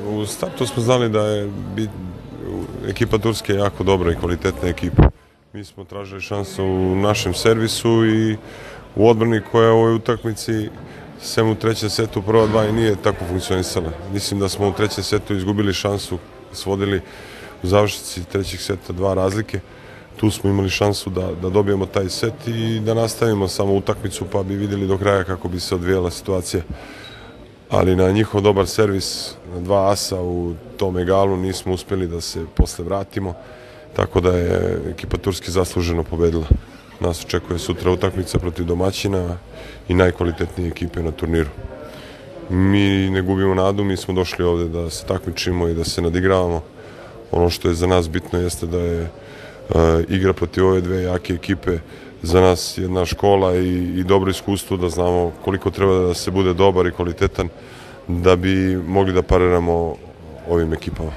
U startu smo znali da je ekipa Turske jako dobra i kvalitetna ekipa. Mi smo tražili šansu u našem servisu i u odbrani koja u ovoj utakmici, sem u trećem setu prva dva i nije tako funkcionisala. Mislim da smo u trećem setu izgubili šansu, svodili u završnici trećeg seta 2 razlike. Tu smo imali šansu da dobijemo taj set i da nastavimo samo utakmicu, pa bi vidjeli do kraja kako bi se odvijala situacija. Ali na njihov dobar servis, na 2 asa u tom egalu nismo uspjeli da se posle vratimo, tako da je ekipa Turske zasluženo pobedila. Nas očekuje sutra utakmica protiv domaćina i najkvalitetnije ekipe na turniru. Mi ne gubimo nadu, mi smo došli ovde da se takmičimo i da se nadigravamo. Ono što je za nas bitno jeste da je igra protiv ove dve jake ekipe za nas jedna škola i dobro iskustvo, da znamo koliko treba da se bude dobar i kvalitetan da bi mogli da pariramo ovim ekipama.